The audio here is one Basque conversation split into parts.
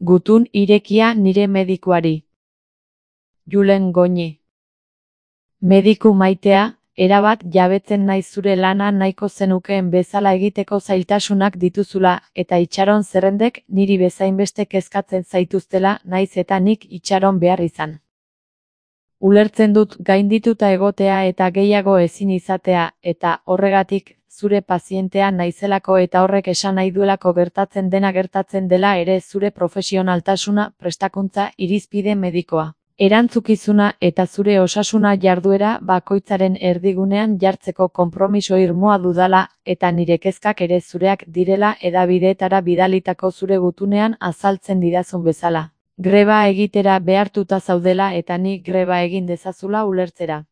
Gutun irekia nire medikuari. Julen Goñi. Mediku maitea, erabat jabetzen naiz zure lana nahiko zenukeen bezala egiteko zailtasunak dituzula eta itxaron zerrendek niri bezainbeste kezkatzen zaituztela naiz eta nik itxaron behar izan. Ulertzen dut gaindituta egotea eta gehiago ezin izatea eta horregatik zure pazientea naizelako eta horrek esan nahi duelako gertatzen dena gertatzen dela ere zure profesionaltasuna, prestakuntza, irizpide medikoa. Erantzukizuna eta zure osasuna jarduera bakoitzaren erdigunean jartzeko konpromiso irmoa dudala eta nire kezkak ere zureak direla hedabideetara bidalitako zure gutunean azaltzen didazun bezala. Greba egitera behartuta zaudela eta ni greba egin dezazula ulertzera.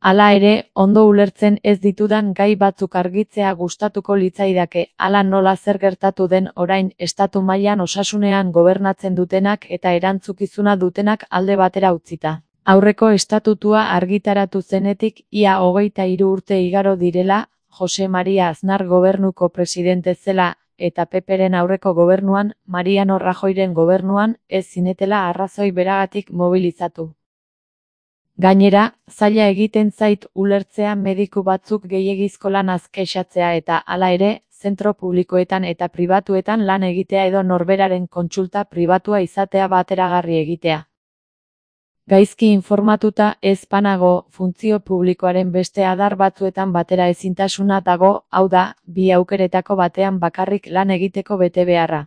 Hala ere, ondo ulertzen ez ditudan gai batzuk argitzea gustatuko litzaidake, hala nola zer gertatu den orain estatu mailan osasunean gobernatzen dutenak eta erantzukizuna dutenak alde batera utzita. Aurreko estatutua argitaratu zenetik ia 23 urte igaro direla, Jose Maria Aznar gobernuko presidente zela eta PPren aurreko gobernuan, Mariano Rajoyren gobernuan, ez zinetela arrazoi beragatik mobilizatu. Gainera, zaila egiten zait ulertzea mediku batzuk gehiegizko lanaz kexatzea eta hala ere, zentro publikoetan eta pribatuetan lan egitea edo norberaren kontsulta pribatua izatea bateragarri egitea. Gaizki informatuta ez banago, funtzio publikoaren beste adar batzuetan batera ezintasuna dago, hau da, bi aukeretako batean bakarrik lan egiteko betebeharra.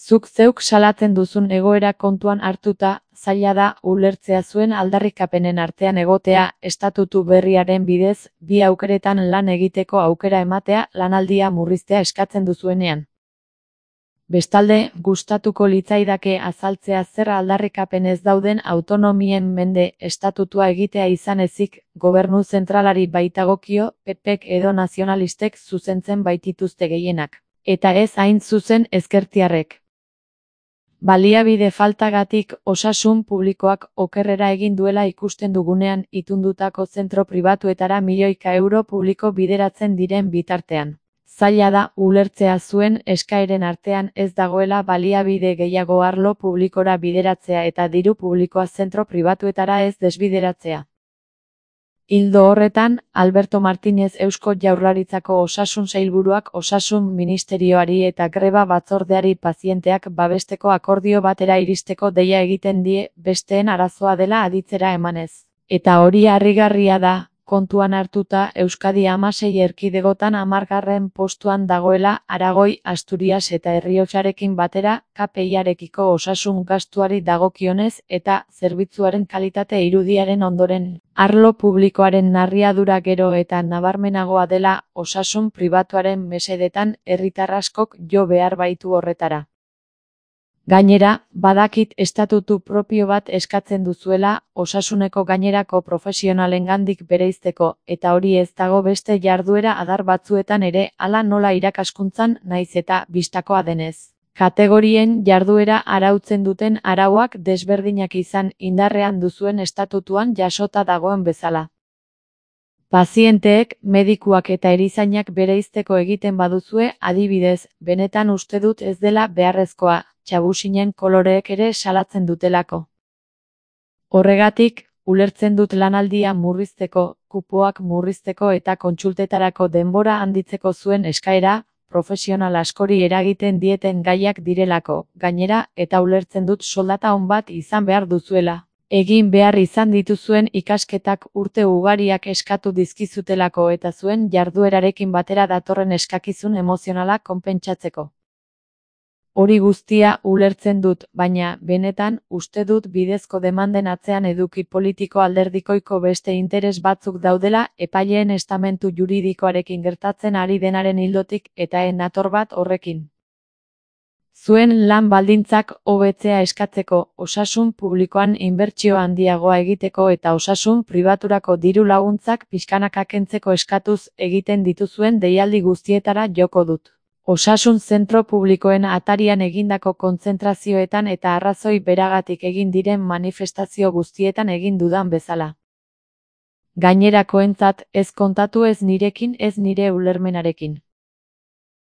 Zuk zeuk salatzen duzun egoera kontuan hartuta, zaila da ulertzea zuen aldarrikapenen artean egotea, estatutu berriaren bidez, bi aukeretan lan egiteko aukera ematea lanaldia murriztea eskatzen duzuenean. Bestalde, gustatuko litzaidake azaltzea zer aldarrikapen ez dauden autonomien mende estatutua egitea izan ezik, gobernu zentralari baitagokio, PPek edo nazionalistek zuzentzen baitituzte gehienak. Eta ez hain zuzen ezkertiarrek. Baliabide faltagatik osasun publikoak okerrera egin duela ikusten dugunean itundutako zentro pribatuetara milioika euro publiko bideratzen diren bitartean. Zaila da ulertzea zuen eskaeren artean ez dagoela baliabide gehiago arlo publikora bideratzea eta diru publikoa zentro pribatuetara ez desbideratzea. Ildo horretan, Alberto Martínez Eusko Jaurlaritzako osasun sailburuak osasun ministerioari eta greba batzordeari pazienteak babesteko akordio batera iristeko deia egiten die besteen arazoa dela aditzera emanez. Eta hori harrigarria da, kontuan hartuta Euskadi 16 erkidegotan 10. postuan dagoela Aragoi, Asturias eta Errioxarekin batera KPI-arekiko osasun gastuari dagokionez eta zerbitzuaren kalitate irudiaren ondoren. Arlo publikoaren narriadura gero eta nabarmenagoa dela osasun pribatuaren mesedetan herritar askok jo behar baitu horretara. Gainera, badakit estatutu propio bat eskatzen duzuela osasuneko gainerako profesionalengandik bereizteko eta hori ez dago beste jarduera adar batzuetan ere hala nola irakaskuntzan naiz eta bistakoa denez. Kategorien jarduera arautzen duten arauak desberdinak izan indarrean duzuen estatutuan jasota dagoen bezala. Pazienteek, medikuak eta erizainak bereizteko egiten baduzue, adibidez, benetan uste dut ez dela beharrezkoa, txabusinen koloreek ere salatzen dutelako. Horregatik, ulertzen dut lanaldia murrizteko, kupoak murrizteko eta kontsultetarako denbora handitzeko zuen eskaera, profesional askori eragiten dieten gaiak direlako, gainera, eta ulertzen dut soldata on bat izan behar duzuela. Egin behar izan dituzuen ikasketak urte ugariak eskatu dizkizutelako eta zuen jarduerarekin batera datorren eskakizun emozionala konpentsatzeko. Hori guztia ulertzen dut, baina, benetan, uste dut bidezko demanden atzean eduki politiko alderdikoiko beste interes batzuk daudela epaileen estamentu juridikoarekin gertatzen ari denaren ildotik eta nator bat horrekin. Zuen lan baldintzak hobetzea eskatzeko, osasun publikoan inbertsio handiagoa egiteko eta osasun pribaturako diru laguntzak pixkanaka kentzeko eskatuz egiten dituzuen deialdi guztietara joko dut. Osasun zentro publikoen atarian egindako kontzentrazioetan eta arrazoi beragatik egin diren manifestazio guztietan egin dudan bezala. Gainerakoentzat ez kontatu ez nirekin ez nire ulermenarekin.